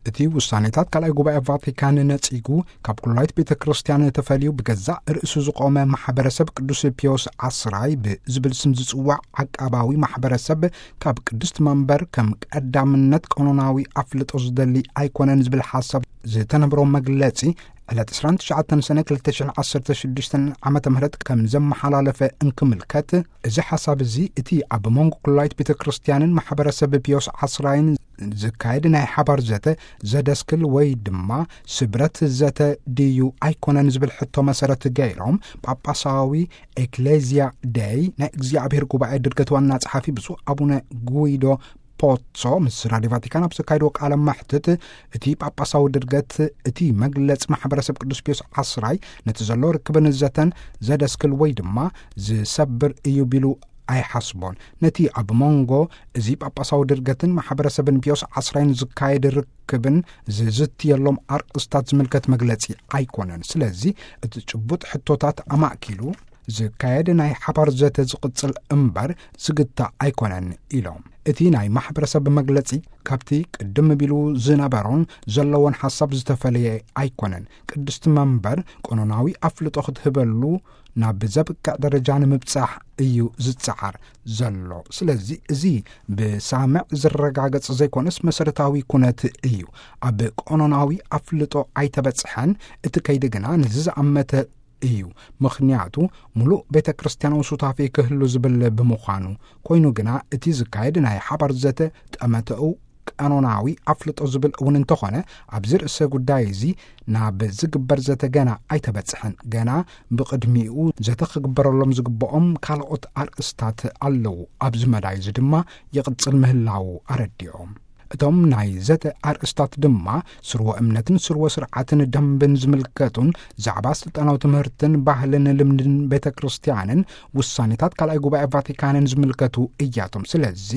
እቲ ውሳኔታት ካልኣይ ጉባኤ ቫቲካን ነጺጉ፣ ካብ ኩላይት ቤተ ክርስቲያን ተፈልዩ ብገዛእ ርእሱ ዝቖመ ማሕበረሰብ ቅዱስ ፒዮስ ዓስራይ ብዝብል ስም ዝጽዋዕ ዓቃባዊ ማሕበረሰብ፣ ካብ ቅድስት መንበር ከም ቀዳምነት ቀኖናዊ ኣፍልጦ ዝደሊ ኣይኮነን ዝብል ሓሳብ ዝተነብሮ መግለጺ፣ ዕለት ዕስራን ትሽዓተን ሰነ ክልተ ሽሕን ዓሰርተ ሽዱሽተን ዓመተ ምህረት ከም ዘመሓላለፈ እንክምልከት፣ እዚ ሓሳብ እዚ እቲ ኣብ መንጎ ኩላይት ቤተ ክርስቲያንን ማሕበረሰብ ፒዮስ ዓስራይን ዝካየድ ናይ ሓባር ዘተ ዘደስክል ወይ ድማ ስብረት ዘተ ድዩ ኣይኮነን ዝብል ሕቶ መሰረት ገይሮም፣ ጳጳሳዊ ኤክሌዝያ ደይ ናይ እግዚኣብሔር ጉባኤ ድርገት ዋና ጸሓፊ ብፁዕ ኣቡነ ጉይዶ ፖትሶ ምስ ራድዮ ቫቲካን ኣብ ዘካየድዎ ቃለ መሕትት፣ እቲ ጳጳሳዊ ድርገት፣ እቲ መግለጽ ማሕበረሰብ ቅዱስ ፒዮስ ዓስራይ ነቲ ዘሎ ርክብን ዘተን ዘደስክል ወይ ድማ ዝሰብር እዩ ቢሉ ኣይሓስቦን። ነቲ ኣብ መንጎ እዚ ጳጳሳዊ ድርገትን ማሕበረሰብን ፒዮስ ዓስራይን ዝካየድ ርክብን ዝዝትየሎም ኣርእስታት ዝምልከት መግለጺ ኣይኮነን። ስለዚ እቲ ጭቡጥ ሕቶታት ኣማእኪሉ ዝካየድ ናይ ሓባር ዘተ ዝቕጽል እምበር ዝግታእ ኣይኮነን ኢሎም። እቲ ናይ ማሕበረሰብ መግለጺ ካብቲ ቅድም ቢሉ ዝነበሮን ዘለዎን ሓሳብ ዝተፈለየ ኣይኮነን። ቅድስቲ መንበር ቀኖናዊ ኣፍልጦ ክትህበሉ ናብ ዘብቅዕ ደረጃ ንምብጻሕ እዩ ዝጸዓር ዘሎ። ስለዚ እዚ ብሳምዕ ዝረጋገጽ ዘይኮነስ መሰረታዊ ኩነት እዩ። ኣብ ቀኖናዊ ኣፍልጦ ኣይተበጽሐን። እቲ ከይዲ ግና ነዚ ዝኣመተ እዩ። ምኽንያቱ፣ ምሉእ ቤተ ክርስቲያናዊ ሱታፌ ክህሉ ዝብል ብምዃኑ። ኮይኑ ግና፣ እቲ ዝካየድ ናይ ሓባር ዘተ ጠመተኡ ቀኖናዊ ኣፍልጦ ዝብል እውን እንተኾነ፣ ኣብዚ ርእሰ ጉዳይ እዚ ናብ ዝግበር ዘተ ገና ኣይተበጽሐን። ገና ብቕድሚኡ ዘተ ክግበረሎም ዝግብኦም ካልኦት ኣርእስታት ኣለዉ። ኣብዚ መዳይ እዚ ድማ ይቕጽል ምህላዉ ኣረዲኦም። እቶም ናይ ዘተ ኣርእስታት ድማ ስርወ እምነትን ስርወ ስርዓትን ደንብን ዝምልከቱን፣ ዛዕባ ስልጣናዊ ትምህርትን ባህልን ልምድን ቤተ ክርስቲያንን ውሳኔታት ካልኣይ ጉባኤ ቫቲካንን ዝምልከቱ እያቶም። ስለዚ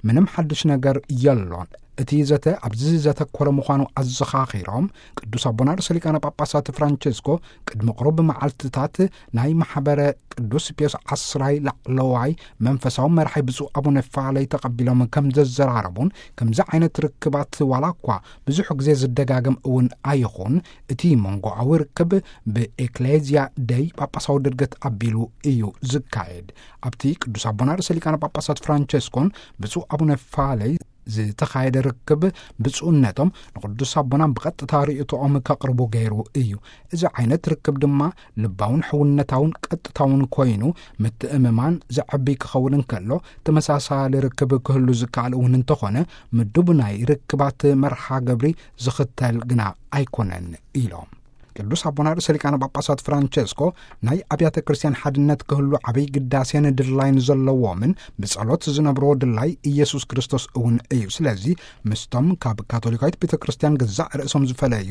ምንም ሓድሽ ነገር የሎን። እቲ ዘተ ኣብዚ ዘተኮረ ምዃኑ ኣዘኻኺሮም፣ ቅዱስ ኣቦና ርእሰ ሊቃነ ጳጳሳት ፍራንቸስኮ ቅድሚ ቁሩብ መዓልትታት ናይ ማሕበረ ቅዱስ ፒዮስ ዓስራይ ላዕለዋይ መንፈሳዊ መራሒ ብፁዕ ኣቡነ ፋለይ ተቐቢሎም ከም ዘዘራረቡን፣ ከምዚ ዓይነት ርክባት ዋላ እኳ ብዙሕ ግዜ ዝደጋገም እውን ኣይኹን፣ እቲ መንጎኣዊ ርክብ ብኤክሌዝያ ደይ ጳጳሳዊ ድርገት ኣቢሉ እዩ ዝካየድ። ኣብቲ ቅዱስ ኣቦና ርእሰ ሊቃነ ጳጳሳት ፍራንቸስኮን ብፁዕ ኣቡነ ፋለይ ዝተኻየደ ርክብ፣ ብፁዕነቶም ንቅዱስ ኣቦና ብቐጥታ ርእይቶኦም ከቕርቡ ገይሩ እዩ። እዚ ዓይነት ርክብ ድማ ልባውን ሕውነታውን ቀጥታውን ኮይኑ፣ ምትእምማን ዘዕቢ ክኸውን እንከሎ፣ ተመሳሳሊ ርክብ ክህሉ ዝከኣል እውን እንተኾነ፣ ምዱብ ናይ ርክባት መርሃ ግብሪ ዝኽተል ግና ኣይኮነን ኢሎም። ቅዱስ ኣቦና ርእሰ ሊቃነ ጳጳሳት ፍራንቸስኮ፣ ናይ ኣብያተ ክርስቲያን ሓድነት ክህሉ ዓብይ ግዳሴን ድላይን ዘለዎምን ብጸሎት ዝነብርዎ ድላይ ኢየሱስ ክርስቶስ እውን እዩ። ስለዚ ምስቶም ካብ ካቶሊካዊት ቤተ ክርስቲያን ገዛእ ርእሶም ዝፈለዩ፣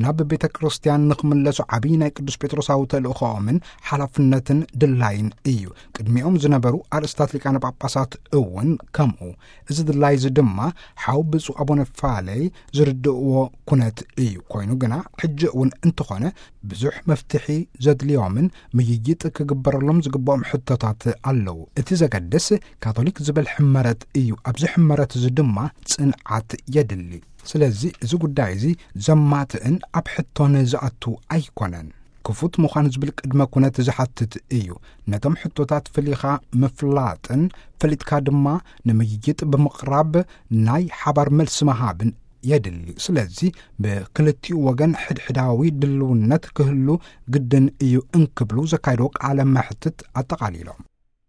ናብ ቤተ ክርስቲያን ንኽምለሱ ዓብይ ናይ ቅዱስ ጴጥሮሳዊ ተልእኾኦምን ሓላፍነትን ድላይን እዩ። ቅድሚኦም ዝነበሩ ኣርእስታት ሊቃነ ጳጳሳት እውን ከምኡ። እዚ ድላይ እዚ ድማ ሓው ብፁዕ ኣቡነ ፋለይ ዝርድእዎ ኩነት እዩ። ኮይኑ ግና ሕጂ እውን እንተኾነ ብዙሕ መፍትሒ ዘድልዮምን ምይይጥ ክግበረሎም ዝግብኦም ሕቶታት ኣለዉ። እቲ ዘገድስ ካቶሊክ ዝብል ሕመረት እዩ። ኣብዚ ሕመረት እዚ ድማ ጽንዓት የድሊ። ስለዚ እዚ ጉዳይ እዚ ዘማትእን ኣብ ሕቶን ዝኣቱ ኣይኮነን። ክፉት ምዃን ዝብል ቅድመ ኩነት ዝሓትት እዩ። ነቶም ሕቶታት ፈሊኻ ምፍላጥን ፈሊጥካ ድማ ንምይይጥ ብምቕራብ ናይ ሓባር መልሲ ምሃብን የድሊ። ስለዚ ብክልቲኡ ወገን ሕድሕዳዊ ድልውነት ክህሉ ግድን እዩ እንክብሉ ዘካየድዎ ቃለ መሕትት ኣጠቓሊሎም።